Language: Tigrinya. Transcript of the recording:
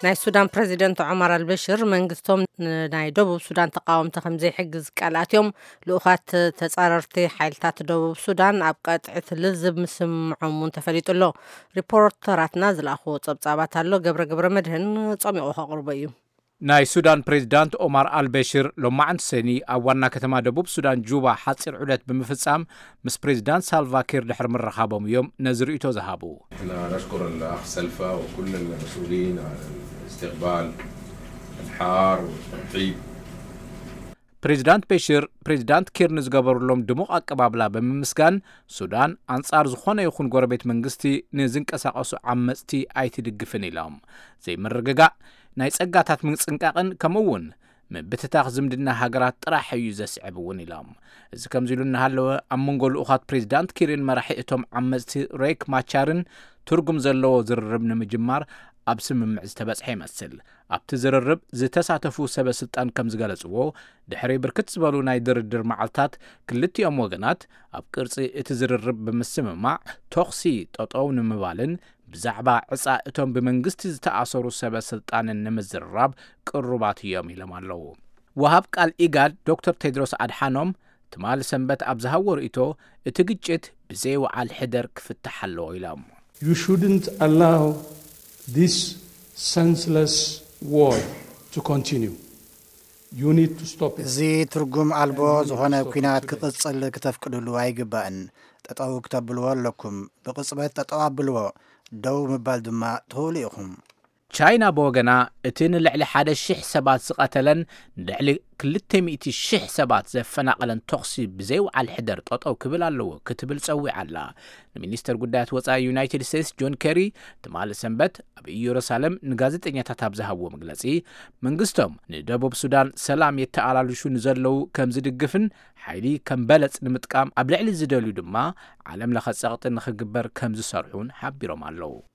ናይ ሱዳን ፕረዚደንት ዑመር ኣልበሽር መንግስቶም ንናይ ደቡብ ሱዳን ተቃወምቲ ከም ዘይሕግዝ ቃል ኣትዮም። ልኡኻት ተጻረርቲ ሓይልታት ደቡብ ሱዳን ኣብ ቀጥዕቲ ልዝብ ምስምዖም እውን ተፈሊጡ ኣሎ። ሪፖርተራትና ዝለኣኽዎ ጸብጻባት ኣሎ። ገብረ ገብረ መድህን ጸሚቑ ከቕርቦ እዩ። ናይ ሱዳን ፕሬዚዳንት ኦማር ኣልበሽር ሎማዕንቲ ሰኒ ኣብ ዋና ከተማ ደቡብ ሱዳን ጁባ ሓፂር ዑደት ብምፍጻም ምስ ፕሬዚዳንት ሳልቫኪር ድሕሪ ምርኻቦም እዮም ነዚ ርእይቶ ዝሃቡ። احنا نشكر الاخ سلفا وكل المسؤولين على الاستقبال الحار والترحيب. ፕሬዚዳንት በሽር ፕሬዚዳንት ኪር ንዝገበሩሎም ድሙቕ ኣቀባብላ ብምምስጋን ሱዳን ኣንጻር ዝኾነ ይኹን ጎረቤት መንግስቲ ንዝንቀሳቐሱ ዓመፅቲ ኣይትድግፍን ኢሎም። ዘይምርግጋእ፣ ናይ ጸጋታት ምጽንቃቕን ከምኡ እውን ምብትታኽ ዝምድና ሃገራት ጥራሕ እዩ ዘስዕብ እውን ኢሎም። እዚ ከምዚ ኢሉ እናሃለወ ኣብ መንጎ ልኡኻት ፕሬዚዳንት ኪርን መራሒ እቶም ዓመፅቲ ሬክ ማቻርን ትርጉም ዘለዎ ዝርርብ ንምጅማር ኣብ ስምምዕ ዝተበጽሐ ይመስል። ኣብቲ ዝርርብ ዝተሳተፉ ሰበ ስልጣን ከም ዝገለጽዎ ድሕሪ ብርክት ዝበሉ ናይ ድርድር መዓልታት ክልቲኦም ወገናት ኣብ ቅርጺ እቲ ዝርርብ ብምስምማዕ ተኹሲ ጠጠው ንምባልን ብዛዕባ ዕጻ እቶም ብመንግስቲ ዝተኣሰሩ ሰበ ስልጣንን ንምዝርራብ ቅሩባት እዮም ኢሎም ኣለዉ። ወሃብ ቃል ኢጋድ ዶክተር ቴድሮስ ኣድሓኖም ትማሊ ሰንበት ኣብ ዝሃብዎ ርእይቶ እቲ ግጭት ብዘይወዓል ሕደር ክፍታሕ ኣለዎ ኢሎም። You shouldn't allow this senseless war to continue. You need to stop it. እዚ ትርጉም ኣልቦ ዝኾነ ኲናት ክቕጽል ክተፍቅድሉ ኣይግባእን። ጠጠው ክተብልዎ ኣለኩም። ብቕጽበት ጠጠው ኣብልዎ። ደው ምባል ድማ ትኽእሉ ኢኹም። ቻይና ብወገና እቲ ንልዕሊ ሓደ ሽሕ ሰባት ዝቐተለን ንልዕሊ ክልተ ሚእቲ ሽሕ ሰባት ዘፈናቐለን ተኹሲ ብዘይወዓል ሕደር ጠጠው ክብል ኣለዎ ክትብል ጸዊዓ ኣላ። ንሚኒስተር ጉዳያት ወጻኢ ዩናይትድ ስቴትስ ጆን ኬሪ ትማሊ ሰንበት ኣብ ኢየሩሳሌም ንጋዜጠኛታት ኣብ ዝሃብዎ መግለጺ መንግስቶም ንደቡብ ሱዳን ሰላም የተኣላልሹ ንዘለዉ ከም ዝድግፍን ሓይሊ ከም በለጽ ንምጥቃም ኣብ ልዕሊ ዝደልዩ ድማ ዓለም ለኸ ጸቕጢ ንኽግበር ከም ዝሰርሑን ሓቢሮም ኣለዉ።